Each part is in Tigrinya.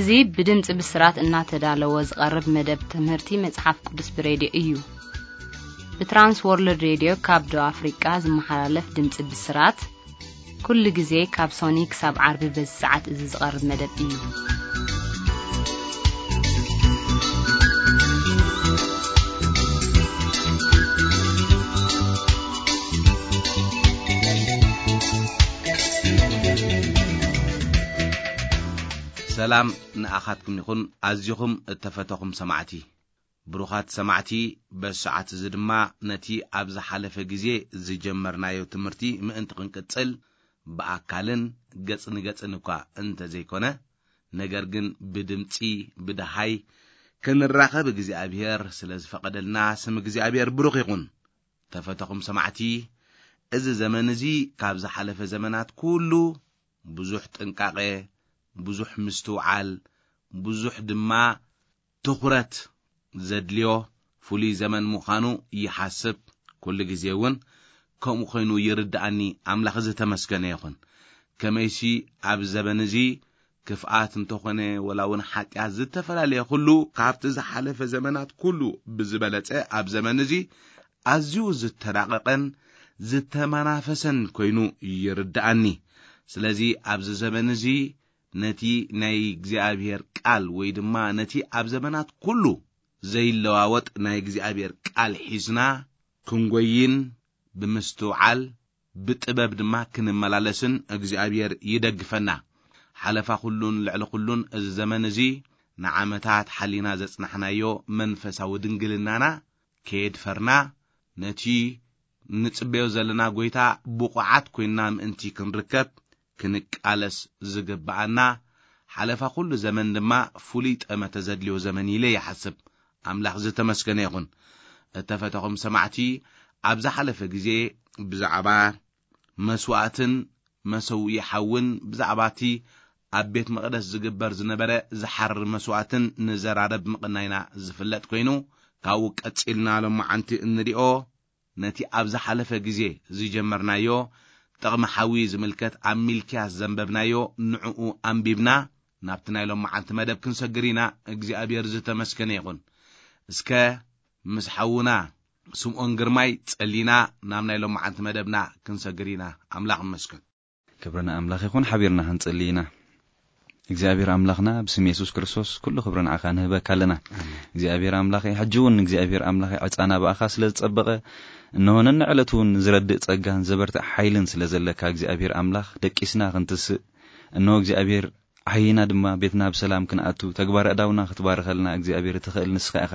እዚ ብድምፂ ብስራት እናተዳለወ ዝቐርብ መደብ ትምህርቲ መጽሓፍ ቅዱስ ብሬድዮ እዩ። ብትራንስ ወርልድ ሬድዮ ካብ ደቡብ ኣፍሪቃ ዝመሓላለፍ ድምፂ ብስራት፣ ኩሉ ግዜ ካብ ሶኒ ክሳብ ዓርቢ በዚ ሰዓት እዚ ዝቐርብ መደብ እዩ። ሰላም ንኣኻትኩም ይኹን፣ ኣዚኹም እተፈተኹም ሰማዕቲ። ብሩኻት ሰማዕቲ፣ በዚ ሰዓት እዚ ድማ ነቲ ኣብ ዝሓለፈ ግዜ ዝጀመርናዮ ትምህርቲ ምእንቲ ክንቅጽል፣ ብኣካልን ገጽ ንገጽን እኳ እንተ ዘይኮነ፣ ነገር ግን ብድምጺ ብደሃይ ክንራኸብ እግዚኣብሔር ስለ ዝፈቐደልና፣ ስም እግዚኣብሔር ብሩኽ ይኹን። ተፈተኹም ሰማዕቲ፣ እዚ ዘመን እዚ ካብ ዝሓለፈ ዘመናት ኩሉ ብዙሕ ጥንቃቐ፣ ብዙሕ ምስትውዓል፣ ብዙሕ ድማ ትኹረት ዘድልዮ ፍሉይ ዘመን ምዃኑ ይሓስብ። ኩሉ ግዜ እውን ከምኡ ኮይኑ ይርድኣኒ። ኣምላኽ ዝተመስገነ ይኹን። ከመይሲ ኣብ ዘበን እዚ ክፍኣት እንተኾነ ወላ እውን ሓጢኣት ዝተፈላለየ ኩሉ ካብቲ ዝሓለፈ ዘመናት ኩሉ ብዝበለጸ ኣብ ዘመን እዚ ኣዝዩ ዝተራቐቐን ዝተመናፈሰን ኮይኑ ይርድኣኒ። ስለዚ ኣብዚ ዘመን እዚ ነቲ ናይ እግዚኣብሔር ቃል ወይ ድማ ነቲ ኣብ ዘመናት ኩሉ ዘይለዋወጥ ናይ እግዚኣብሔር ቃል ሒዝና ክንጎይን ብምስትውዓል ብጥበብ ድማ ክንመላለስን እግዚኣብሔር ይደግፈና። ሓለፋ ኩሉን ልዕሊ ኩሉን እዚ ዘመን እዚ ንዓመታት ሓሊና ዘጽናሕናዮ መንፈሳዊ ድንግልናና ከየድፈርና ነቲ ንጽበዮ ዘለና ጎይታ ብቑዓት ኮይንና ምእንቲ ክንርከብ ክንቃለስ ዝግብኣና ሓለፋ ኩሉ ዘመን ድማ ፍሉይ ጠመተ ዘድልዮ ዘመን ኢለ ይሓስብ። ኣምላኽ ዝተመስገነ ይኹን። እተፈተኹም ሰማዕቲ፣ ኣብ ዝሓለፈ ግዜ ብዛዕባ መስዋእትን መሰውኢ ሓውን ብዛዕባ እቲ ኣብ ቤት መቕደስ ዝግበር ዝነበረ ዝሓርር መስዋእትን ንዘራረብ ምቕናይና ዝፍለጥ ኮይኑ፣ ካብኡ ቀጺልና ሎማዓንቲ እንሪኦ ነቲ ኣብ ዝሓለፈ ግዜ ዝጀመርናዮ ጥቕሚ ሓዊ ዝምልከት ኣብ ሚልክያስ ዘንበብናዮ ንዕኡ ኣንቢብና ናብቲ ናይ ሎማዓንቲ መደብ ክንሰግር ኢና። እግዚኣብሔር ዝተመስገነ ይኹን። እስከ ምስ ሓውና ስምኦን ግርማይ ጸሊና ናብ ናይ ሎማዓንቲ መደብና ክንሰግር ኢና። ኣምላኽ ይመስገን። ክብሪ ንኣምላኽ ይኹን። ሓቢርና ክንጽሊ ኢና። እግዚኣብሔር ኣምላኽና፣ ብስም የሱስ ክርስቶስ ኩሉ ክብሪ ንዓኻ ንህበካ ኣለና። እግዚኣብሔር ኣምላኸይ፣ ሕጂ እውን እግዚኣብሔር ኣምላኸይ፣ ዕጻና ብኣኻ ስለ ዝጸበቐ፣ እንሆ ነንዕለቱ እውን ዝረድእ ጸጋን ዘበርትዕ ሓይልን ስለ ዘለካ እግዚኣብሔር ኣምላኽ፣ ደቂስና ክንትስእ፣ እንሆ እግዚኣብሔር፣ ዓሂና ድማ ቤትና ብሰላም ክንኣቱ፣ ተግባር ኣእዳውና ክትባርኸልና እግዚኣብሔር እትኽእል ንስኻ ኢኻ።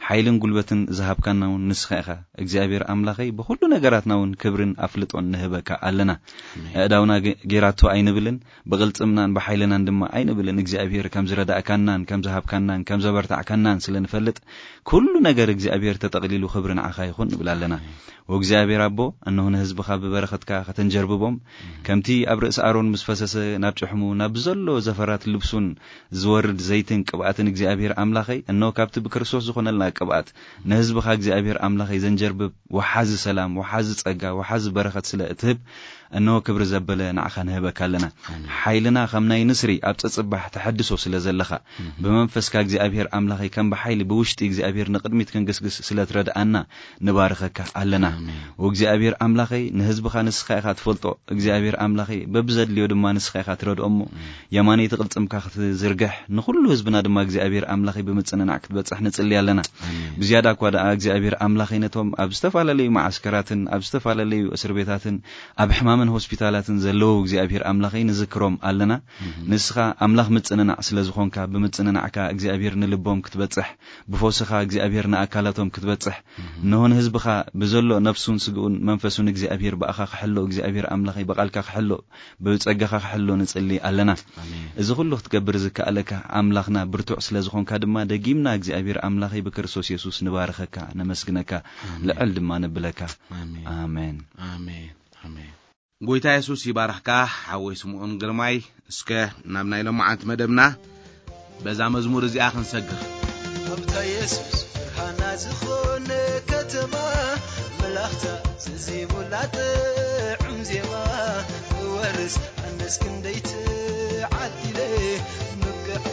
ሓይልን ጉልበትን ዝሃብካና እውን ንስኻ ኢኻ። እግዚኣብሔር ኣምላኸይ፣ ብኹሉ ነገራትና እውን ክብርን ኣፍልጦን ንህበካ ኣለና። ኣእዳውና ገ-፣ ጌራቶ ኣይንብልን፣ ብቕልጽምናን ብሓይልናን ድማ ኣይንብልን። እግዚኣብሔር ከም ዝረዳእካናን ከም ዝሃብካናን ከም ዘበርታዕካናን ስለ ንፈልጥ፣ ኩሉ ነገር እግዚኣብሔር ተጠቕሊሉ ክብሪ ንዓኻ ይኹን ንብል ኣለና። ወእግዚኣብሔር ኣቦ፣ እነሆ ንህዝብኻ ብበረኸትካ ከተንጀርብቦም፣ ከምቲ ኣብ ርእሲ ኣሮን ምስ ፈሰሰ ናብ ጭሕሙ፣ ናብ ዘሎ ዘፈራት ልብሱን ዝወርድ ዘይትን ቅብኣትን እግዚኣብሔር ኣምላኸይ፣ እነሆ ካብቲ ብክርስቶስ ዝኾነልና ቅብኣት ንህዝብኻ እግዚኣብሔር ኣምላኸይ ዘንጀርብብ ወሓዚ ሰላም፣ ወሓዚ ጸጋ፣ ወሓዚ በረኸት ስለ እትህብ፣ እነሆ ክብሪ ዘበለ ንዓኻ ንህበካ ኣለና። ሓይልና ከም ናይ ንስሪ ኣብ ጸጽባሕ ተሐድሶ ስለ ዘለኻ፣ ብመንፈስካ እግዚኣብሔር ኣምላኸይ ከም ብሓይሊ ብውሽጢ እግዚኣብሔር ንቕድሚት ክንግስግስ ስለ ትረድኣና ንባርኸካ ኣለና። ወእግዚኣብሔር ኣምላኸይ ንህዝብኻ ንስኻ ኢኻ ትፈልጦ። እግዚኣብሔር ኣምላኸይ በብዘድልዮ ድማ ንስኻ ኢኻ ትረድኦ እሞ የማነይቲ ቅልጽምካ ክትዝርግሕ ንኹሉ ህዝብና ድማ እግዚኣብሔር ኣምላኸይ ብምጽንናዕ ክትበጽሕ ንጽሊ ኣለና። ብዝያዳ እኳ ደኣ እግዚኣብሔር ኣምላኸይ ነቶም ኣብ ዝተፈላለዩ መዓስከራትን ኣብ ዝተፈላለዩ እስር ቤታትን ኣብ ሕማምን ሆስፒታላትን ዘለዉ እግዚኣብሔር ኣምላኸይ ንዝክሮም ኣለና። ንስኻ ኣምላኽ ምጽንናዕ ስለ ዝኾንካ ብምጽንናዕካ እግዚኣብሔር ንልቦም ክትበጽሕ፣ ብፈውስኻ እግዚኣብሔር ንኣካላቶም ክትበጽሕ፣ እንሆ ንህዝብኻ ብዘሎ ነፍሱን ስግኡን መንፈሱን እግዚኣብሔር ብኣኻ ክሕሎ እግዚኣብሔር ኣምላኸይ ብቓልካ ክሕሎ ብጸጋኻ ክሕሎ ንጽሊ ኣለና። እዚ ኩሉ ክትገብር ዝከኣለካ ኣምላኽና ብርቱዕ ስለ ዝኾንካ ድማ ደጊምና እግዚኣብሔር ኣምላኸይ ብክርስቶስ የሱስ ንባርኸካ፣ ነመስግነካ፣ ልዕል ድማ ነብለካ። ኣሜን። ኣሜን። ኣሜን። ጎይታ የሱስ ይባርኽካ ሓወይ ስምኦን ግርማይ። እስከ ናብ ናይ ሎማዓንቲ መደብና በዛ መዝሙር እዚኣ ክንሰግር። ኣብታ የሱስ ብርሃና ዝኾነ ከተማ መላኽታ ዝዚሙላ ጥዑም ዜማ ክወርስ ኣነስ ክንደይ ትዓዲለ ምብቅዕ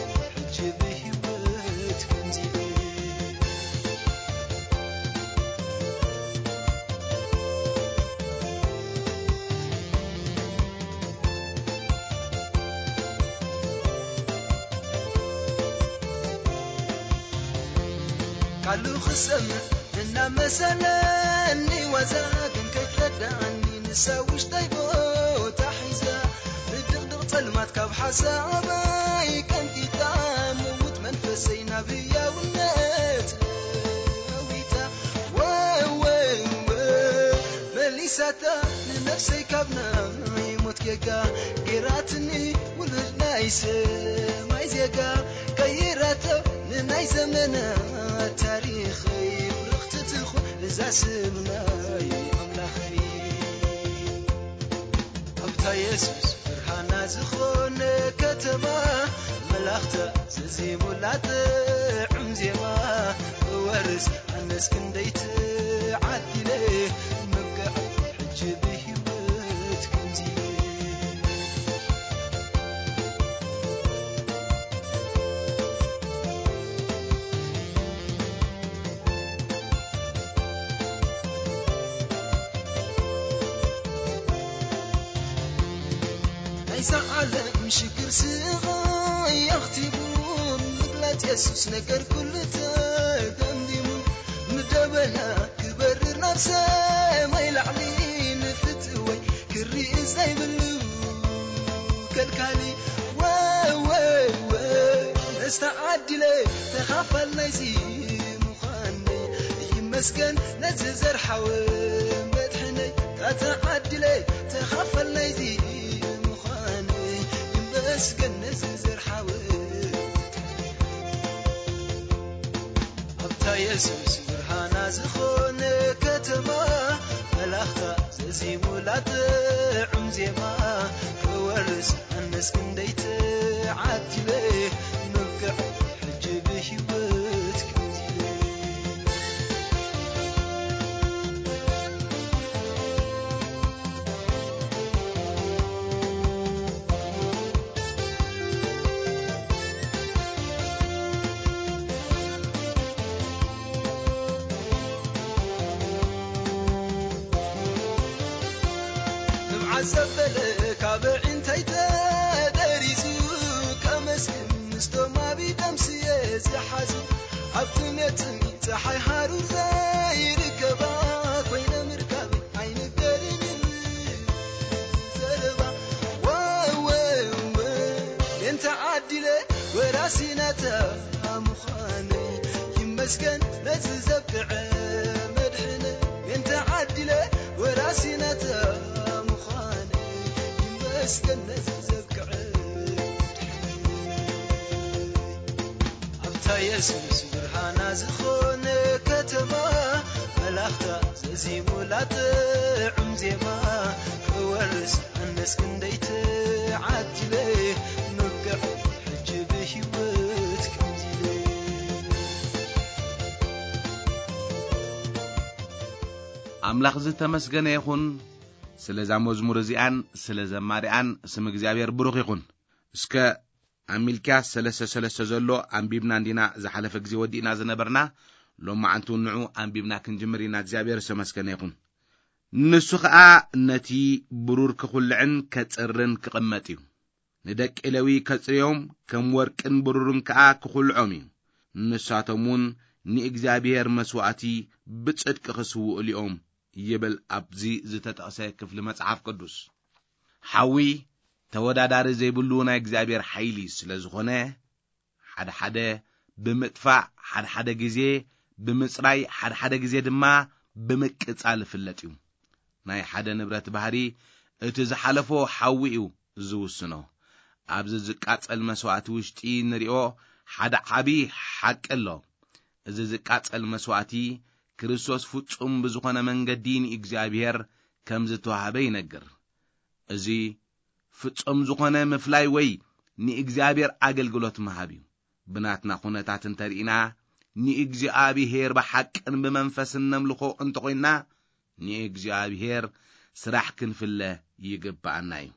ቃሉ ክሰምዕ እናመሰለኒ ዋዛ፣ ግን ከይትረዳእኒ ንሳ ውሽጠይ ቦታ ሒዛ። ብድቕድቕ ጸልማት ካብ ሓሳበይ ቀንጢጣ፣ ምውት መንፈሰይ ናብ ህያውነት ለዊጣ። ወ-፣ ወ-፣ ወ-፣ መሊሳታ ንነፍሰይ ካብ ናይ ሞት ጌጋ፣ ጌራትኒ ውሉድ ናይ ሰማይ ዜጋ። ቀይራቶ ንናይ ዘመናት ታሪኸይ፣ ብርኽቲ ትኹን እዛ ስም ናይ ኣምላኸይ። ኣብታ የሱስ ብርሃና ዝኾነ ከተማ፣ መላኽታ ዘዜሙላ ጥዑም ዜማ፣ ክወርስ ኣነስ ክንደይ ተዓዲለ፣ መብቅዕ ሕጂ ብህይወት ከምዚ። ናይዛ ዓለም ሽግር ስቓይ ኣኽቲሙ፣ ምግላጽ የሱስ ነገር ኩሉ ተደምዲሙ። ምደበና ክበርር ናብ ሰማይ ላዕሊ፣ ንፍትወይ ክርኢ ዘይብሉ ከልካሊ። ወ-፣ ወ-፣ ወ-፣ መስተዓዲለ ተኻፋል ናይዚ ምዃነይ፣ ይመስገን ነዚ ዘርሓወ መድሕነይ። ተዓዲለ ተኻፋል ናይዚ ምዃነይ፣ ይመስገን ነዚ ዘርሓወ። ኣብታ የሱስ ብርሃና ዝኾነ ከተማ፣ መላኽታ ዘዚሙላ ጥዑም ዜማ፣ ክወርስ ኣነስ ክንደይ ተዓዲለ፣ ምብቅዕ ሕጂ ብህይወት ከምዚለ። ንብዓት ዘበለ ካብ ዕንተይ ተደሪዙ፣ ከመስግን ምስቶም ኣብ ኢዶም ስየ ዝሓዙ፣ ኣብ ጥሜት ጽምኢ ጸሓይ ሃሩር ዘይርከባ፣ ኮይነ ምርካብ ኣይንገርን ዘረባ። ወ-፣ ወ-፣ ወ-፣ ሜንተ ዓዲለ ወራሲ ናታ ምዃነይ፣ ይመስገን ነዚ ዘብቅዐ መድሕነይ። ሜንተ ዓዲለ ወራሲ ናታ ምዃነይ፣ ይመስገን ነዚ ዘብቅዐ መድሕነይ። ኣብታ የሱስ ብርሃና ዝኾነ ከተማ፣ መላኽታ ዘዚሙላ ጥዑም ዜማ፣ ክወርስ ኣነስ ክንደይ ተዓዲለ፣ ምብቅዕ ሕጂ ብህይወት ከምዚለ። ኣምላኽ ዝተመስገነ ይኹን፣ ስለዛ መዝሙር እዚኣን ስለ ዘማሪኣን ስም እግዚኣብሔር ብሩኽ ይኹን። እስከ ኣብ ሚልክያስ ሰለስተ ሰለስተ ዘሎ ኣንቢብና እንዲና ዝሓለፈ ግዜ ወዲእና ዝነበርና፣ ሎማዓንቱ ንዑ ኣንቢብና ክንጅምር ኢና። እግዚኣብሔር ዝተመስገነ ይኹን። ንሱ ኸኣ ነቲ ብሩር ክኹልዕን ከጽርን ክቕመጥ እዩ። ንደቂ ሌዊ ከጽርዮም፣ ከም ወርቅን ብሩርን ከኣ ክኹልዖም እዩ። ንሳቶም እውን ንእግዚኣብሔር መስዋእቲ ብጽድቂ ክስውኡሉ እዮም ይብል ኣብዚ ዝተጠቕሰ ክፍሊ መጽሓፍ ቅዱስ። ሓዊ ተወዳዳሪ ዘይብሉ ናይ እግዚኣብሔር ሓይሊ ስለ ዝኾነ፣ ሓደ ሓደ ብምጥፋእ፣ ሓደ ሓደ ግዜ ብምጽራይ፣ ሓደ ሓደ ግዜ ድማ ብምቅጻል ይፍለጥ እዩ። ናይ ሓደ ንብረት ባህሪ እቲ ዝሓለፎ ሓዊ እዩ ዝውስኖ። ኣብዚ ዝቃጸል መስዋእቲ ውሽጢ ንሪኦ ሓደ ዓቢ ሓቂ ኣሎ። እዚ ዝቃጸል መስዋእቲ ክርስቶስ ፍጹም ብዝኾነ መንገዲ ንእግዚኣብሔር ከም ዝተዋህበ ይነግር። እዚ ፍጹም ዝኾነ ምፍላይ ወይ ንእግዚኣብሔር ኣገልግሎት ምሃብ እዩ። ብናትና ኩነታት እንተርኢና፣ ንእግዚኣብሔር ብሓቅን ብመንፈስን ነምልኾ እንተኾይንና፣ ንእግዚኣብሔር ስራሕ ክንፍለ ይግብኣና እዩ።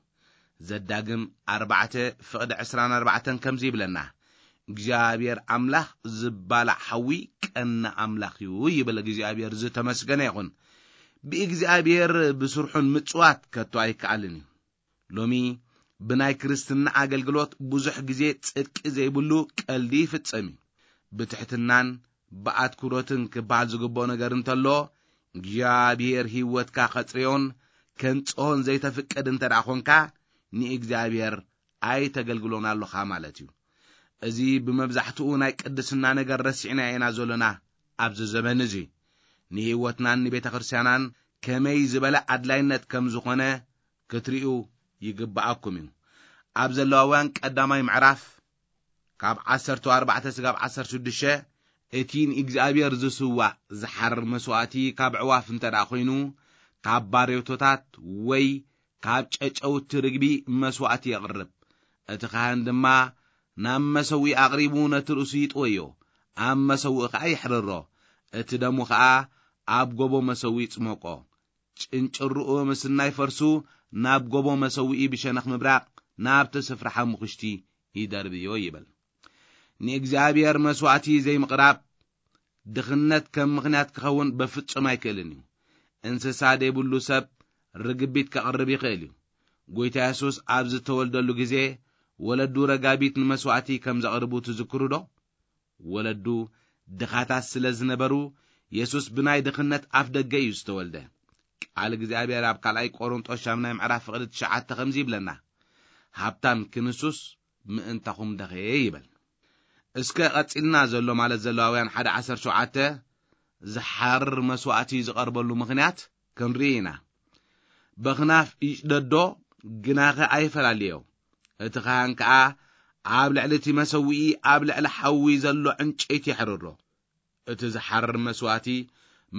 ዘዳግም ኣርባዕተ ፍቕዲ ዕስራን ኣርባዕተን ከምዚ ይብለና፣ እግዚኣብሔር ኣምላኽ ዝባላዕ ሓዊ ቀና ኣምላኽ እዩ ይብል። እግዚኣብሔር ዝተመስገነ ይኹን። ብእግዚኣብሔር ብስርሑን ምጽዋት ከቶ ኣይከኣልን እዩ። ሎሚ ብናይ ክርስትና ኣገልግሎት ብዙሕ ግዜ ጽድቂ ዘይብሉ ቀልዲ ይፍጸም እዩ። ብትሕትናን ብኣትኩሮትን ክበሃል ዝግብኦ ነገር እንተሎ እግዚኣብሔር ህይወትካ ከጽርዮን ከንጽሆን ዘይተፍቅድ እንተ ደኣ ኾንካ ንእግዚኣብሔር ኣይተገልግሎን ኣለኻ ማለት እዩ። እዚ ብመብዛሕትኡ ናይ ቅድስና ነገር ረሲዕና ኢና ዘሎና ኣብዚ ዘበን እዚ። ንህይወትናን ንቤተ ክርስቲያናን ከመይ ዝበለ ኣድላይነት ከም ዝኾነ ክትርእዩ ይግብኣኩም እዩ። ኣብ ዘለዋውያን ቀዳማይ ምዕራፍ ካብ ዓሰርተ ኣርባዕተ ስጋብ ዓሰርተ ሽዱሽተ እቲ ንእግዚኣብሔር ዝስዋእ ዝሓርር መስዋእቲ ካብ ዕዋፍ እንተ ደኣ ኮይኑ ካብ ባሬቶታት ወይ ካብ ጨጨውቲ ርግቢ መስዋእቲ የቕርብ። እቲ ካህን ድማ ናብ መሰዊእ ኣቕሪቡ ነቲ ርእሱ ይጥወዮ፣ ኣብ መሰዊእ ኸዓ ይሕርሮ። እቲ ደሙ ኸዓ ኣብ ጎቦ መሰዊእ ይጽመቆ። ጭንጭርኡ ምስ ናይ ፈርሱ ናብ ጎቦ መሰዊኢ ብሸነኽ ምብራቕ ናብቲ ስፍራ ሓሙኽሽቲ ይደርብዮ ይብል። ንእግዚኣብሔር መስዋእቲ ዘይምቕራብ ድኽነት ከም ምኽንያት ክኸውን በፍጹም ኣይክእልን እዩ። እንስሳ ደይብሉ ሰብ ርግቢት ከቕርብ ይኽእል እዩ። ጎይታ የሱስ ኣብ ዝተወልደሉ ግዜ ወለዱ ረጋቢት ንመስዋእቲ ከም ዘቕርቡ ትዝክሩ ዶ? ወለዱ ድኻታት ስለ ዝነበሩ የሱስ ብናይ ድኽነት ኣፍ ደገ እዩ ዝተወልደ። ቃል እግዚኣብሔር ኣብ ካልኣይ ቆሮንጦስ ሻምናይ ምዕራፍ ፍቕዲ ትሽዓተ ከምዚ ይብለና፣ ሃብታም ክንሱስ ምእንታኹም ደኸየ ይበል። እስከ ቀጺልና ዘሎ ማለት ዘለዋውያን ሓደ ዓሰርተ ሸውዓተ ዝሓርር መስዋእቲ ዝቐርበሉ ምኽንያት ክንርኢ ኢና። በኽናፍ ይጭደዶ ግናኸ ኣይፈላልዮ። እቲ ኻህን ከኣ ኣብ ልዕሊ እቲ መሰውኢ ኣብ ልዕሊ ሓዊ ዘሎ ዕንጨይቲ የሕርሮ። እቲ ዝሓርር መስዋእቲ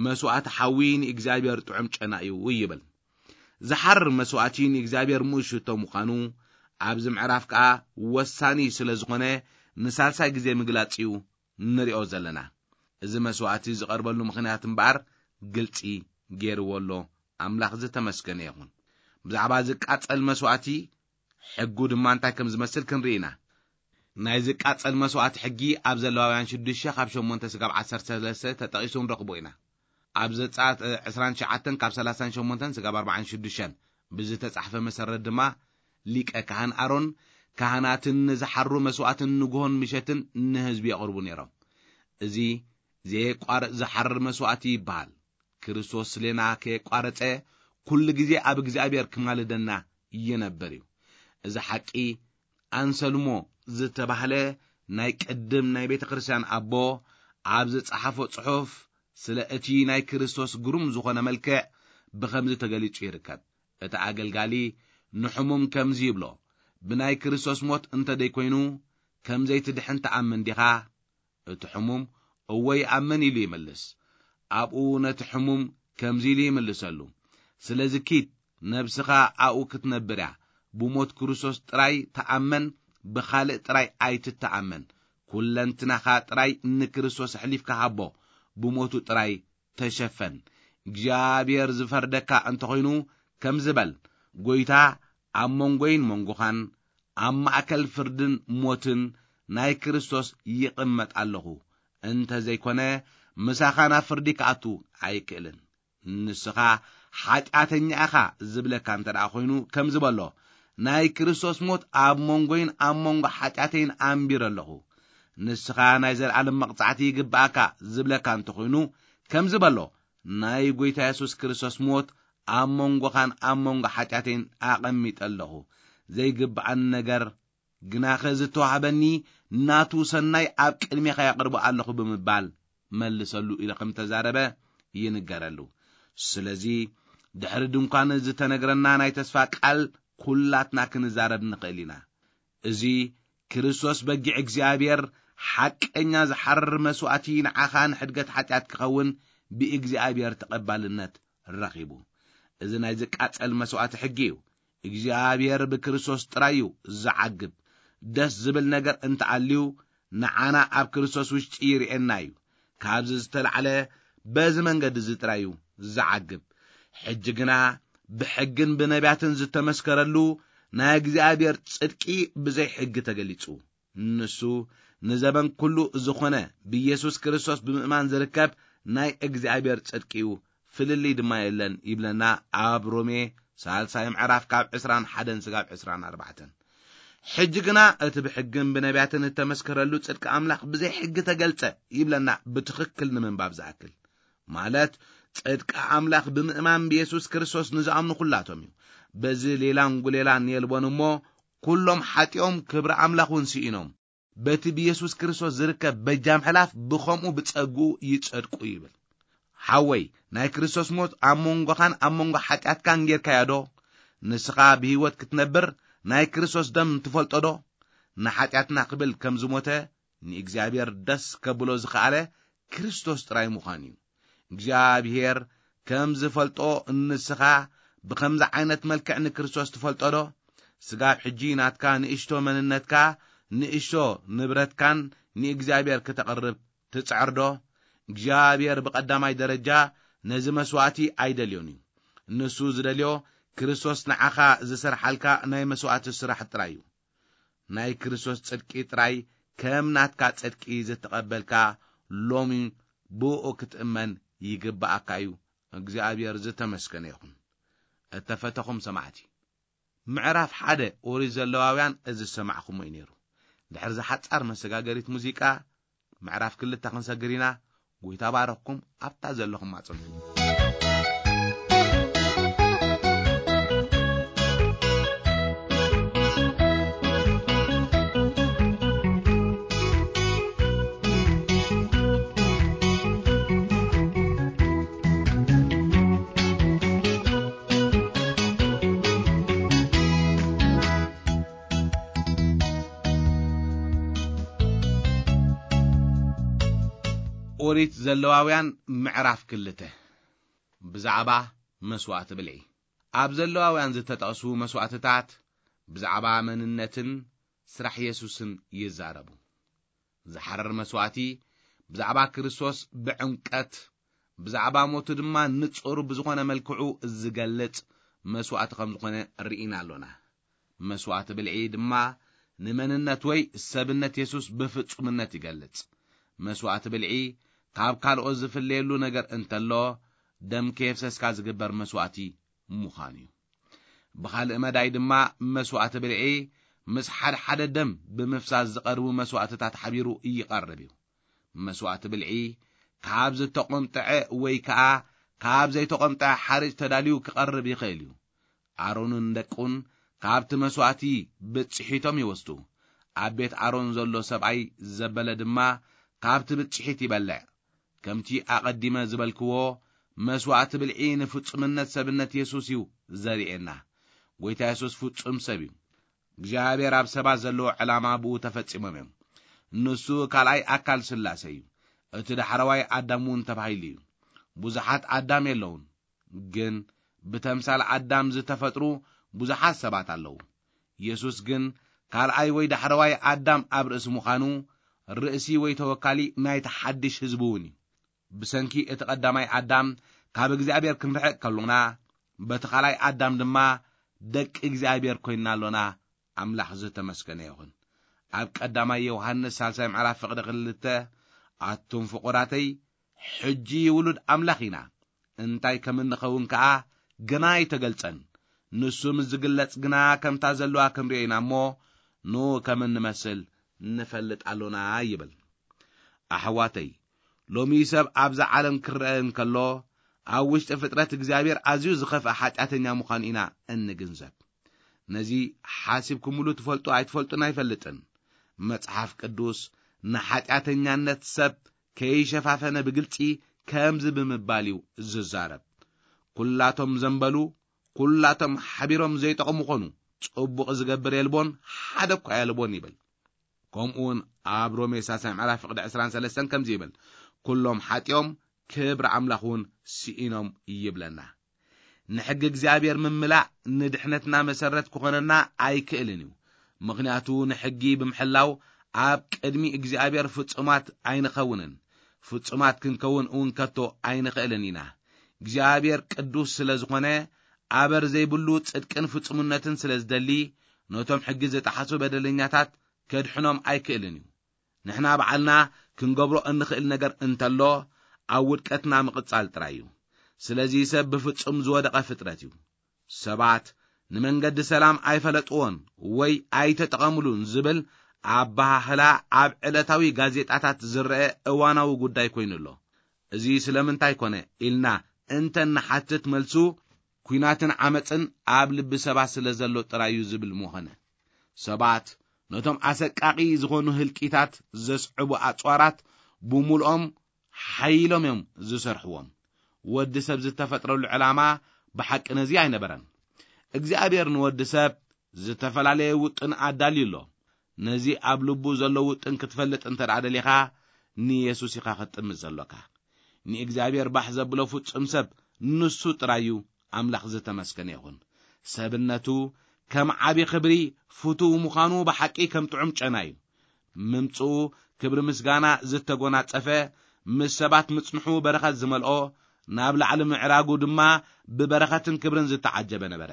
መስዋእቲ ሓዊ ንእግዚኣብሔር ጥዑም ጨና እዩ ይብል። ዝሓርር መስዋእቲ ንእግዚኣብሔር ምእሽቶ ምዃኑ ኣብዚ ምዕራፍ ከኣ ወሳኒ ስለ ዝኾነ ንሳልሳይ ግዜ ምግላጽ እዩ ንሪኦ ዘለና። እዚ መስዋእቲ ዝቐርበሉ ምኽንያት እምበኣር ግልጺ ገይርዎ ኣሎ። ኣምላኽ ዝተመስገነ ይኹን። ብዛዕባ ዝቃጸል መስዋእቲ ሕጉ ድማ እንታይ ከም ዝመስል ክንርኢ ኢና። ናይ ዝቃጸል መስዋእቲ ሕጊ ኣብ ዘለዋውያን ሽዱሽተ ካብ ሸሞንተ ስጋብ ዓሰርተ ሰለስተ ተጠቒሱ ንረኽቦ ኢና። ኣብ ዘጸኣት ዕስራን ትሽዓተን ካብ ሰላሳን ሸሞንተን ስጋብ ኣርባዓን ሽዱሽተን ብዝተጻሕፈ መሰረት ድማ ሊቀ ካህን ኣሮን ካህናትን ንዝሓሩ መስዋእትን ንግሆን ምሸትን ንህዝቢ የቕርቡ ነይሮም። እዚ ዘየቋርጽ ዝሓርር መስዋእቲ ይበሃል። ክርስቶስ ስሌና ከየቋረጸ ኩሉ ግዜ ኣብ እግዚኣብሔር ክማልደና ይነብር እዩ። እዚ ሓቂ ኣንሰልሞ ዝተባህለ ናይ ቅድም ናይ ቤተ ክርስቲያን ኣቦ ኣብ ዝጸሓፎ ጽሑፍ ስለ እቲ ናይ ክርስቶስ ግሩም ዝኾነ መልክዕ ብኸምዚ ተገሊጹ ይርከብ። እቲ ኣገልጋሊ ንሕሙም ከምዚ ይብሎ፣ ብናይ ክርስቶስ ሞት እንተ ደይኮይኑ ከም ዘይትድሕን ትኣምን ዲኻ? እቲ ሕሙም እወ ይኣምን ኢሉ ይምልስ። ኣብኡ ነቲ ሕሙም ከምዚ ኢሉ ይምልሰሉ፣ ስለዚ ኪድ ነብስኻ ኣብኡ ክትነብር እያ። ብሞት ክርስቶስ ጥራይ ተኣመን፣ ብኻልእ ጥራይ ኣይትተኣመን። ኩለንትናኻ ጥራይ ንክርስቶስ ኣሕሊፍካ ሃቦ፣ ብሞቱ ጥራይ ተሸፈን። እግዚኣብሔር ዝፈርደካ እንተኾይኑ ከምዚ በል፣ ጎይታ ኣብ መንጎይን መንጎኻን ኣብ ማእከል ፍርድን ሞትን ናይ ክርስቶስ ይቕመጥ ኣለኹ። እንተ ዘይኮነ ምሳኻ ናብ ፍርዲ ክኣቱ ኣይክእልን። ንስኻ ሓጢኣተኛ ኢኻ ዝብለካ እንተ ደኣ ኮይኑ ከምዚ በሎ፣ ናይ ክርስቶስ ሞት ኣብ መንጎይን ኣብ መንጎ ሓጢኣተይን ኣንቢረ ኣለኹ። ንስኻ ናይ ዘለኣለም መቕጻዕቲ ይግብኣካ ዝብለካ እንተኾይኑ ከምዚ በሎ፣ ናይ ጎይታ የሱስ ክርስቶስ ሞት ኣብ መንጎኻን ኣብ መንጎ ሓጢኣተይን ኣቐሚጠ ኣለኹ። ዘይግብኣኒ ነገር ግናኸ ዝተዋህበኒ ናቱ ሰናይ ኣብ ቅድሜኻ የቕርቦ ኣለኹ ብምባል መልሰሉ ኢሉ ከም ተዛረበ ይንገረሉ። ስለዚ ድሕሪ ድንኳን ዝተነግረና ናይ ተስፋ ቃል ኩላትና ክንዛረብ ንኽእል ኢና። እዚ ክርስቶስ በጊዕ እግዚኣብሔር ሓቀኛ ዝሓርር መስዋእቲ ንዓኻ ንሕድገት ሓጢኣት ክኸውን ብእግዚኣብሔር ተቐባልነት ረኺቡ። እዚ ናይ ዝቃጸል መስዋእቲ ሕጊ እዩ። እግዚኣብሔር ብክርስቶስ ጥራይ እዩ ዝዓግብ። ደስ ዝብል ነገር እንተኣልዩ ንዓና ኣብ ክርስቶስ ውሽጢ ይርእየና እዩ። ካብዚ ዝተላዕለ በዚ መንገዲ እዚ ጥራይ እዩ ዝዓግብ። ሕጂ ግና ብሕግን ብነቢያትን ዝተመስከረሉ ናይ እግዚኣብሔር ጽድቂ ብዘይ ሕጊ ተገሊጹ። ንሱ ንዘበን ኩሉ ዝኾነ ብኢየሱስ ክርስቶስ ብምእማን ዝርከብ ናይ እግዚኣብሔር ጽድቂ እዩ፣ ፍልልይ ድማ የለን ይብለና ኣብ ሮሜ ሳልሳይ ምዕራፍ ካብ ዕስራን ሓደን ስጋብ ዕስራን ኣርባዕተን። ሕጂ ግና እቲ ብሕግን ብነቢያትን እተመስከረሉ ጽድቂ ኣምላኽ ብዘይ ሕጊ ተገልጸ ይብለና፣ ብትኽክል ንምንባብ ዝኣክል። ማለት፣ ጽድቂ ኣምላኽ ብምእማን ብየሱስ ክርስቶስ ንዝኣምኑ ኩላቶም እዩ። በዚ ሌላን ጉሌላን የልቦን እሞ፣ ኩሎም ሓጢኦም ክብሪ ኣምላኽ እውን ስኢኖም። በቲ ብየሱስ ክርስቶስ ዝርከብ በጃ ምሕላፍ ብኸምኡ ብጸግኡ ይጸድቁ ይብል። ሓወይ፣ ናይ ክርስቶስ ሞት ኣብ መንጎኻን ኣብ መንጎ ሓጢኣትካን ጌርካዮ ዶ? ንስኻ ብህይወት ክትነብር ናይ ክርስቶስ ደም ትፈልጦ ዶ? ንሓጢኣትና ክብል ከም ዝሞተ ንእግዚኣብሔር ደስ ከብሎ ዝኸኣለ ክርስቶስ ጥራይ ምዃን እዩ። እግዚኣብሔር ከም ዝፈልጦ ንስኻ ብኸምዚ ዓይነት መልክዕ ንክርስቶስ ትፈልጦ ዶ? ስጋብ ሕጂ ናትካ ንእሽቶ መንነትካ፣ ንእሽቶ ንብረትካን ንእግዚኣብሔር ክተቕርብ ትጽዕር ዶ? እግዚኣብሔር ብቐዳማይ ደረጃ ነዚ መስዋእቲ ኣይደልዮን እዩ። ንሱ ዝደልዮ ክርስቶስ ንዓኻ ዝሰርሓልካ ናይ መስዋእቲ ስራሕ ጥራይ እዩ። ናይ ክርስቶስ ጽድቂ ጥራይ ከም ናትካ ጽድቂ ዝተቐበልካ ሎሚ ብኡ ክትእመን ይግብኣካ እዩ። እግዚኣብሔር ዝተመስገነ ይኹን። እተፈተኹም ሰማዕቲ፣ ምዕራፍ ሓደ ኦሪት ዘለዋውያን እዚ ዝሰማዕኹሞ እዩ ነይሩ። ድሕሪ እዛ ሓጻር መሰጋገሪት ሙዚቃ፣ ምዕራፍ ክልተ ክንሰግር ኢና። ጎይታ ባረኽኩም፣ ኣብታ ዘለኹም ኣጽንሑ። ኦሪት ዘለዋውያን ምዕራፍ ክልተ። ብዛዕባ መስዋእቲ ብልዒ። ኣብ ዘለዋውያን ዝተጠቕሱ መስዋእትታት ብዛዕባ መንነትን ስራሕ የሱስን ይዛረቡ። ዝሓረር መስዋእቲ ብዛዕባ ክርስቶስ ብዕምቀት፣ ብዛዕባ ሞቱ ድማ ንጹር ብዝኾነ መልክዑ ዝገልጽ መስዋእቲ ከም ዝኾነ ርኢና ኣሎና። መስዋእቲ ብልዒ ድማ ንመንነት ወይ ሰብነት የሱስ ብፍጹምነት ይገልጽ። መስዋእቲ ብልዒ ካብ ካልኦት ዝፍለየሉ ነገር እንተሎ፣ ደም ከየፍሰስካ ዝግበር መስዋእቲ ምዃኑ እዩ። ብኻልእ መዳይ ድማ መስዋእቲ ብልዒ ምስ ሓደ ሓደ ደም ብምፍሳስ ዝቐርቡ መስዋእትታት ሓቢሩ ይቐርብ እዩ። መስዋእቲ ብልዒ ካብ ዝተቖምጠዐ ወይ ከኣ ካብ ዘይተቖምጠዐ ሓርጭ ተዳልዩ ክቐርብ ይኽእል እዩ። ኣሮንን ደቁን ካብቲ መስዋእቲ ብጽሒቶም ይወስዱ። ኣብ ቤት ኣሮን ዘሎ ሰብኣይ ዘበለ ድማ ካብቲ ብጽሒት ይበልዕ። ከምቲ ኣቐዲመ ዝበልክዎ፣ መስዋእቲ ብልዒ ንፍጹምነት ሰብነት የሱስ እዩ ዘርእየና። ጐይታ የሱስ ፍጹም ሰብ እዩ። እግዚኣብሔር ኣብ ሰባት ዘለዎ ዕላማ ብኡ ተፈጺሞም እዮም። ንሱ ካልኣይ ኣካል ስላሴ እዩ። እቲ ዳሕረዋይ ኣዳም እውን ተባሂሉ እዩ። ብዙሓት ኣዳም የለውን፣ ግን ብተምሳል ኣዳም ዝተፈጥሩ ብዙሓት ሰባት ኣለዉ። የሱስ ግን ካልኣይ ወይ ዳሕረዋይ ኣዳም ኣብ ርእሲ ምዃኑ፣ ርእሲ ወይ ተወካሊ ናይቲ ሓድሽ ህዝቢ እውን እዩ። ብሰንኪ እቲ ቀዳማይ ኣዳም ካብ እግዚኣብሔር ክንርሕቕ ከሎና፣ በቲ ካልኣይ ኣዳም ድማ ደቂ እግዚኣብሔር ኮይንና ኣሎና። ኣምላኽ ዝተመስገነ ይኹን። ኣብ ቀዳማይ ዮሃንስ ሳልሳይ ምዕራፍ ፍቕዲ ክልተ፣ ኣቱም ፍቑራተይ፣ ሕጂ ውሉድ ኣምላኽ ኢና፣ እንታይ ከም እንኸውን ከኣ ገና ኣይተገልጸን። ንሱ ምስ ዝግለጽ ግና ከምታ ዘለዋ ክንርእዮ ኢና እሞ፣ ንኡ ከም እንመስል ንፈልጥ ኣሎና ይብል። ኣሕዋተይ፣ ሎሚ ሰብ ኣብዛ ዓለም ክረአ እንከሎ፣ ኣብ ውሽጢ ፍጥረት እግዚኣብሔር ኣዝዩ ዝኸፍአ ሓጢኣተኛ ምዃኑ ኢና እንግንዘብ። ነዚ ሓሲብኩምሉ ትፈልጡ ኣይትፈልጡን ኣይፈልጥን። መጽሓፍ ቅዱስ ንሓጢኣተኛነት ሰብ ከይሸፋፈነ ብግልጺ ከምዚ ብምባል እዩ ዝዛረብ። ኩላቶም ዘንበሉ፣ ኩላቶም ሓቢሮም ዘይጠቕሙ ኾኑ፣ ጽቡቕ ዝገብር የልቦን፣ ሓደ እኳ የልቦን ይብል። ከምኡ እውን ኣብ ሮሜ ሳልሳይ ምዕራፍ ፍቕዲ ዕስራን ሰለስተን ከምዚ ይብል፣ ኩሎም ሓጢኦም ክብሪ ኣምላኽ እውን ስኢኖም ይብለና። ንሕጊ እግዚኣብሔር ምምላእ ንድሕነትና መሰረት ክኾነና ኣይክእልን እዩ። ምኽንያቱ ንሕጊ ብምሕላው ኣብ ቅድሚ እግዚኣብሔር ፍጹማት ኣይንኸውንን። ፍጹማት ክንከውን እውን ከቶ ኣይንኽእልን ኢና። እግዚኣብሔር ቅዱስ ስለ ዝኾነ፣ ኣበር ዘይብሉ ጽድቅን ፍጹምነትን ስለ ዝደሊ፣ ነቶም ሕጊ ዝጠሓሱ በደለኛታት ከድሕኖም ኣይክእልን እዩ። ንሕና ባዕልና ክንገብሮ እንኽእል ነገር እንተሎ፣ ኣብ ውድቀትና ምቕጻል ጥራይ እዩ። ስለዚ ሰብ ብፍጹም ዝወደቐ ፍጥረት እዩ። ሰባት ንመንገዲ ሰላም ኣይፈለጥዎን ወይ ኣይተጠቐምሉን ዝብል ኣበሃህላ ኣብ ዕለታዊ ጋዜጣታት ዝረአ እዋናዊ ጉዳይ ኮይኑ ኣሎ። እዚ ስለምንታይ ኮነ ኢልና እንተ ንሓትት፣ መልሱ ኲናትን ዓመጽን ኣብ ልቢ ሰባት ስለ ዘሎ ጥራይ እዩ ዝብል ምኾነ። ሰባት ነቶም ኣሰቃቒ ዝኾኑ ህልቂታት ዘስዕቡ ኣጽዋራት ብምሉኦም ሓይሎም እዮም ዝሰርሕዎም። ወዲ ሰብ ዝተፈጥረሉ ዕላማ ብሓቂ ነዚ ኣይነበረን። እግዚኣብሔር ንወዲ ሰብ ዝተፈላለየ ውጥን ኣዳልዩ ኣሎ። ነዚ ኣብ ልቡ ዘሎ ውጥን ክትፈልጥ እንተ ደኣ ደሊኻ፣ ንየሱስ ኢኻ ክትጥምት ዘሎካ። ንእግዚኣብሔር ባሕ ዘብሎ ፍጹም ሰብ ንሱ ጥራይ እዩ። ኣምላኽ ዝተመስገነ ይኹን። ሰብነቱ ከም ዓቢ ክብሪ ፍቱው ምዃኑ ብሓቂ ከም ጥዑም ጨና እዩ። ምምጽኡ ክብሪ ምስጋና ዝተጎናጸፈ፣ ምስ ሰባት ምጽንሑ በረኸት ዝመልኦ፣ ናብ ላዕሊ ምዕራጉ ድማ ብበረኸትን ክብርን ዝተዓጀበ ነበረ።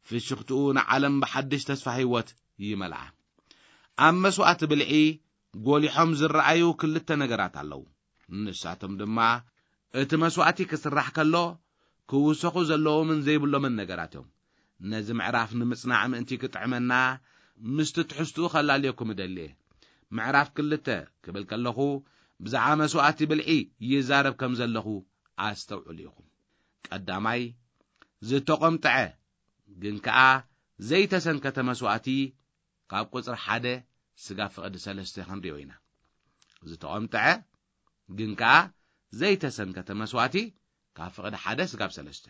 ፍሽኽትኡ ንዓለም ብሓድሽ ተስፋ ህይወት ይመልኣ። ኣብ መስዋእቲ ብልዒ ጎሊሖም ዝረኣዩ ክልተ ነገራት ኣለዉ። ንሳቶም ድማ እቲ መስዋእቲ ክስራሕ ከሎ ክውሰኹ ዘለዎምን ዘይብሎምን ነገራት እዮም። ነዚ ምዕራፍ ንምጽናዕ ምእንቲ ክጥዕመና ምስቲ ትሕዝትኡ ከላልየኩም እደሊ እየ። ምዕራፍ ክልተ ክብል ከለኹ ብዛዕባ መስዋእቲ ብልዒ ይዛረብ ከም ዘለኹ ኣስተውዕሉ ኢኹም። ቀዳማይ፣ ዝተቖምጠዐ ግን ከኣ ዘይተሰንከተ መስዋእቲ ካብ ቁጽሪ ሓደ ስጋብ ፍቕዲ ሰለስተ ክንሪኦ ኢና። ዝተቖምጠዐ ግን ከኣ ዘይተሰንከተ መስዋእቲ ካብ ፍቕዲ ሓደ ስጋብ ሰለስተ።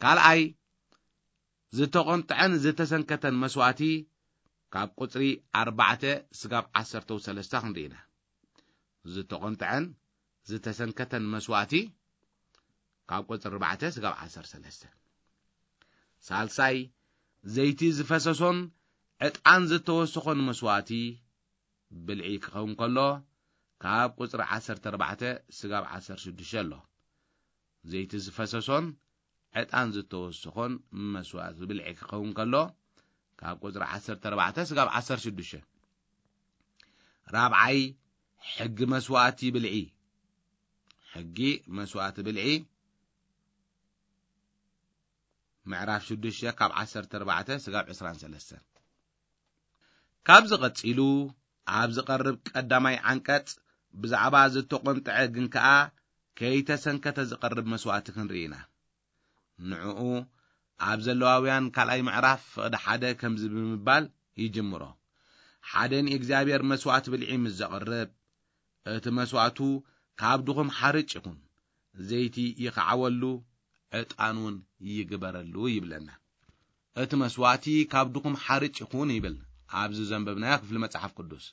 ካልኣይ፣ ዝተቖምጠዐን ዝተሰንከተን መስዋእቲ ካብ ቁጽሪ ኣርባዕተ ስጋብ ዓሰርተው ሰለስተ ክንርኢ ኢና። ዝተቖምጠዐን ዝተሰንከተን መስዋእቲ ካብ ቁጽሪ ኣርባዕተ ስጋብ ዓሰርተ ሰለስተ። ሳልሳይ፣ ዘይቲ ዝፈሰሶን ዕጣን ዝተወሰኾን መስዋእቲ ብልዒ ክኸውን ከሎ፣ ካብ ቁጽሪ ዓሰርተ ኣርባዕተ ስጋብ ዓሰርተ ሽዱሽተ ኣሎ። ዘይቲ ዝፈሰሶን ዕጣን ዝተወሰኾን መስዋእቲ ብልዒ ክኸውን ከሎ፣ ካብ ቁጽሪ ዓሰርተ ኣርባዕተ ስጋብ ዓሰርተ ሽዱሽተ። ራብዓይ፣ ሕጊ መስዋእቲ ብልዒ። ሕጊ መስዋእቲ ብልዒ፣ ምዕራፍ ሽዱሽተ ካብ ዓሰርተ ኣርባዕተ ስጋብ ዕስራን ሰለስተን። ካብዚ ቀጺሉ ኣብ ዝቐርብ ቀዳማይ ዓንቀጽ ብዛዕባ ዝተቖምጠዐ ግን ከኣ ከይተሰንከተ ዝቐርብ መስዋእቲ ክንርኢ ኢና። ንዕኡ ኣብ ዘለዋውያን ካልኣይ ምዕራፍ ፍቕዲ ሓደ ከምዚ ብምባል ይጅምሮ። ሓደ ንእግዚኣብሔር መስዋእቲ ብልዒ ምስ ዘቕርብ፣ እቲ መስዋእቱ ካብ ድኹም ሓርጭ ይኹን፣ ዘይቲ ይኽዓወሉ፣ ዕጣን እውን ይግበረሉ ይብለና። እቲ መስዋእቲ ካብ ድኹም ሓርጭ ይኹን ይብል ኣብዚ ዘንበብናዮ ክፍሊ መጽሓፍ ቅዱስ።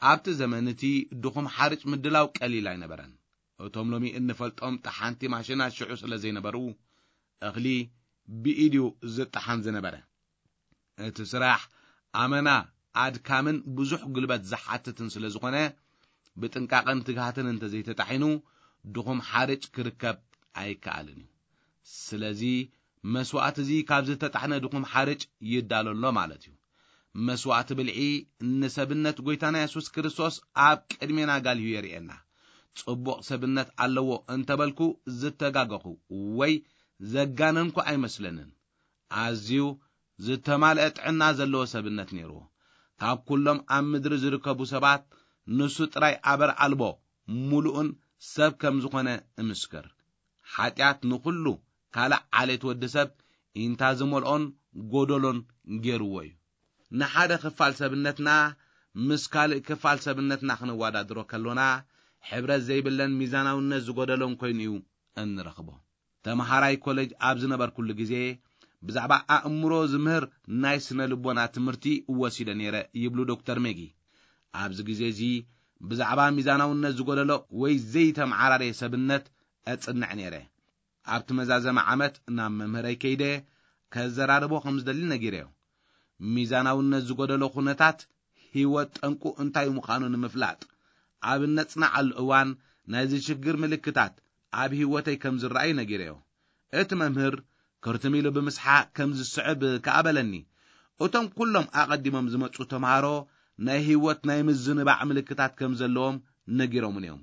ኣብቲ ዘመን እቲ ድኹም ሓርጭ ምድላው ቀሊል ኣይነበረን። እቶም ሎሚ እንፈልጦም ጠሓንቲ ማሽናት ሽዑ ስለ ዘይነበሩ፣ እኽሊ ብኢድ እዩ ዝጠሓን ዝነበረ። እቲ ስራሕ ኣመና ኣድካምን ብዙሕ ጉልበት ዝሓትትን ስለ ዝኾነ፣ ብጥንቃቐን ትግሃትን እንተዘይተጣሒኑ፣ ድኹም ሓርጭ ክርከብ ኣይከኣልን እዩ። ስለዚ፣ መስዋእቲ እዚ ካብ ዝተጣሕነ ድኹም ሓርጭ ይዳሎ ኣሎ ማለት እዩ። መስዋእቲ ብልዒ ንሰብነት ጐይታና የሱስ ክርስቶስ ኣብ ቅድሜና ጋልዩ የርእየና። ጽቡቕ ሰብነት ኣለዎ እንተበልኩ ዝተጋገኹ ወይ ዘጋነንኩ ኣይመስለንን። ኣዝዩ ዝተማልአ ጥዕና ዘለዎ ሰብነት ነይርዎ። ካብ ኩሎም ኣብ ምድሪ ዝርከቡ ሰባት ንሱ ጥራይ ኣበር ኣልቦ ምሉእን ሰብ ከም ዝኾነ እምስክር። ሓጢኣት ንኹሉ ካልእ ዓሌት ወዲ ሰብ ኢንታ ዝመልኦን ጎደሎን ገይርዎ እዩ። ንሓደ ክፋል ሰብነትና ምስ ካልእ ክፋል ሰብነትና ክንወዳድሮ ከሎና፣ ሕብረት ዘይብለን ሚዛናውነት ዝጎደሎን ኮይኑ እዩ እንረኽቦ። ተመሃራይ ኮሌጅ ኣብ ዝነበርኩሉ ግዜ፣ ብዛዕባ ኣእምሮ ዝምህር ናይ ስነ ልቦና ትምህርቲ ወሲደ ነይረ ይብሉ ዶክተር ሜጊ። ኣብዚ ግዜ እዚ ብዛዕባ ሚዛናውነት ዝጎደሎ ወይ ዘይተመዓራረየ ሰብነት እጽንዕ ነይረ። ኣብቲ መዛዘሚ ዓመት ናብ መምህረይ ከይደ ከዘራርቦ ከም ዝደሊ ነጊረዮ። ሚዛናውነት ዝጎደሎ ኩነታት ህይወት ጠንቁ እንታይ ምዃኑ ንምፍላጥ፣ ኣብ እነጽንዓሉ እዋን ናይዚ ሽግር ምልክታት ኣብ ህይወተይ ከም ዝረኣዩ ነጊረዮ። እቲ መምህር ክርትም ኢሉ ብምስሓቕ ከም ዝስዕብ ከኣ በለኒ። እቶም ኩሎም ኣቐዲሞም ዝመጹ ተምሃሮ ናይ ህይወት ናይ ምዝንባዕ ምልክታት ከም ዘለዎም ነጊሮምኒ እዮም።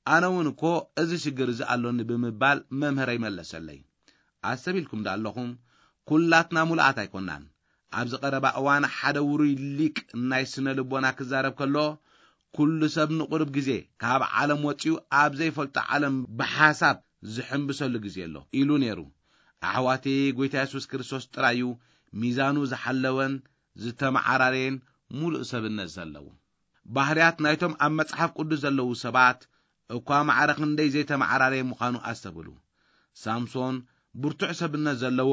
ኣነ እውን እኮ እዚ ሽግር እዚ ኣሎኒ ብምባል መምህረይ መለሰለይ። ኣሰብ ኢልኩም ዶ ኣለኹም? ኩላትና ሙሉኣት ኣይኮናን። ኣብዚ ቀረባ እዋን ሓደ ውሩይ ሊቅ ናይ ስነ ልቦና ክዛረብ ከሎ፣ "ኩሉ ሰብ ንቁሩብ ግዜ ካብ ዓለም ወጺኡ ኣብ ዘይፈልጦ ዓለም ብሓሳብ ዝሕምብሰሉ ግዜ ኣሎ" ኢሉ ነይሩ። ኣሕዋተይ፣ ጎይታ የሱስ ክርስቶስ ጥራይ እዩ ሚዛኑ ዝሓለወን ዝተመዓራረየን ሙሉእ ሰብነት ዘለዎ። ባህርያት ናይቶም ኣብ መጽሓፍ ቅዱስ ዘለዉ ሰባት እኳ ማዕረ ክንደይ ዘይተመዓራረየ ምዃኑ ኣስተብህሉ። ሳምሶን ብርቱዕ ሰብነት ዘለዎ፣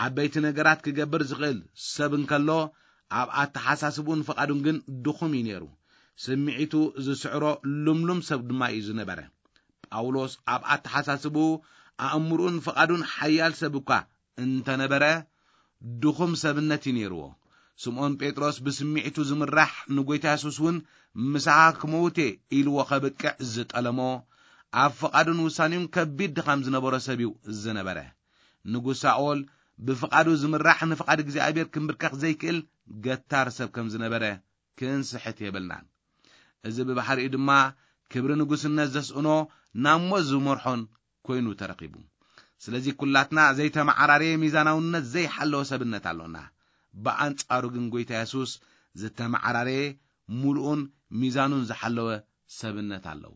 ዓበይቲ ነገራት ክገብር ዝኽእል ሰብ እንከሎ፣ ኣብ ኣተሓሳስብኡን ፍቓዱን ግን ድኹም እዩ ነይሩ። ስምዒቱ ዝስዕሮ ልምሉም ሰብ ድማ እዩ ዝነበረ። ጳውሎስ ኣብ ኣተሓሳስብኡ፣ ኣእምርኡን ፍቓዱን ሓያል ሰብ እኳ እንተነበረ፣ ድኹም ሰብነት እዩ ነይርዎ። ስምዖን ጴጥሮስ ብስምዒቱ ዝምራሕ፣ ንጎይታ የሱስ እውን "ምሳኻ ክመውት እየ" ኢልዎ ከብቅዕ ዝጠለሞ፣ ኣብ ፍቓዱን ውሳኔኡን ከቢድ ድኻም ዝነበሮ ሰብ እዩ ዝነበረ። ንጉስ ሳኦል ብፍቓዱ ዝምራሕ፣ ንፍቓድ እግዚኣብሔር ክምብርከኽ ዘይክእል ገታር ሰብ ከም ዝነበረ ክንስሕት የብልናን። እዚ ብባህሪኡ ድማ ክብሪ ንጉስነት ዘስእኖ፣ ናብ ሞት ዝመርሖን ኮይኑ ተረኺቡ። ስለዚ ኩላትና ዘይተመዓራረየ ሚዛናውነት ዘይሓለወ ሰብነት ኣሎና። ብኣንጻሩ ግን ጎይታ የሱስ ዝተመዓራረየ፣ ምሉእን ሚዛኑን ዝሓለወ ሰብነት ኣለዎ።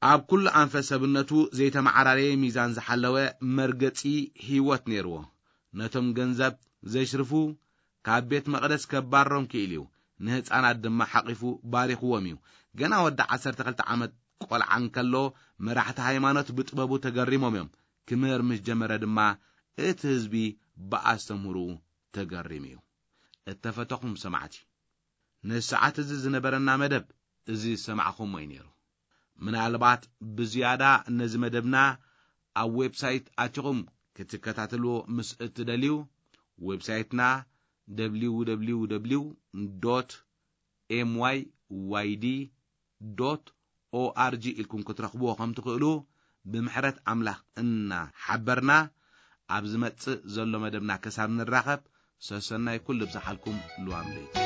ኣብ ኩሉ ኣንፈት ሰብነቱ ዘይተመዓራረየ ሚዛን ዝሓለወ መርገጺ ህይወት ነይርዎ። ነቶም ገንዘብ ዘሽርፉ ካብ ቤት መቕደስ ከባርሮም ክኢሉ እዩ። ንህፃናት ድማ ሓቒፉ ባሪኽዎም እዩ። ገና ወዲ ዓሰርተ ክልተ ዓመት ቆልዓ እንከሎ፣ መራሕቲ ሃይማኖት ብጥበቡ ተገሪሞም እዮም። ክምህር ምስ ጀመረ ድማ፣ እቲ ህዝቢ ብኣስተምህሮኡ ተገሪሙ እዩ። እተፈተኹም ሰማዕቲ፣ ንሰዓት እዚ ዝነበረና መደብ እዚ ዝሰማዕኹሞ እዩ ነይሩ። ምናልባት ብዝያዳ ነዚ መደብና ኣብ ዌብሳይት ኣቲኹም ክትከታተልዎ ምስ እትደልዩ፣ ዌብሳይትና www dot myyd dot org ኢልኩም ክትረኽብዎ ከም ትኽእሉ ብምሕረት ኣምላኽ እናሓበርና፣ ኣብ ዝመጽእ ዘሎ መደብና ክሳብ ንራኸብ፣ ሰሰናይ ኩሉ ብዝሓልኩም ልዋም ለይቲ።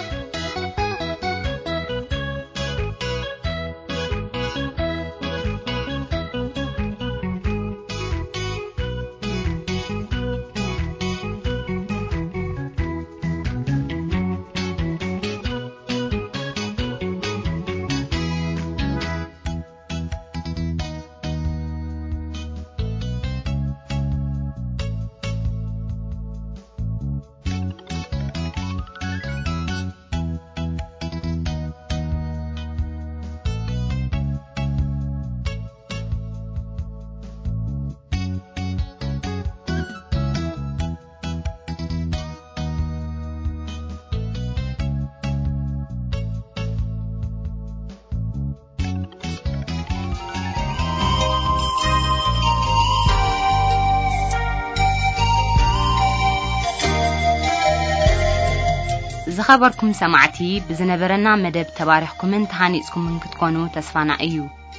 ዝኸበርኩም ሰማዕቲ፣ ብዝነበረና መደብ ተባሪኽኩምን ተሃኒጽኩምን ክትኮኑ ተስፋና እዩ።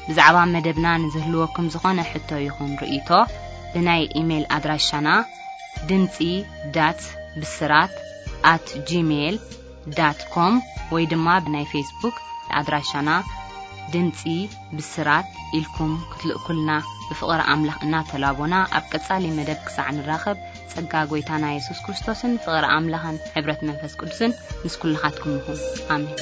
ብዛዕባ መደብና ንዝህልወኩም ዝኾነ ሕቶ ይኹን ርእይቶ፣ ብናይ ኢሜይል ኣድራሻና ድምጺ ዳት ብስራት ኣት ጂሜይል ዳት ኮም ወይ ድማ ብናይ ፌስቡክ ኣድራሻና ድምጺ ብስራት ኢልኩም ክትልእኩልና ብፍቕሪ ኣምላኽ እናተላቦና፣ ኣብ ቀጻሊ መደብ ክሳዕ ንራኸብ፣ ጸጋ ጐይታና የሱስ ክርስቶስን ፍቕሪ ኣምላኽን ሕብረት መንፈስ ቅዱስን ምስ ኩልኻትኩም ይኹን። ኣሜን።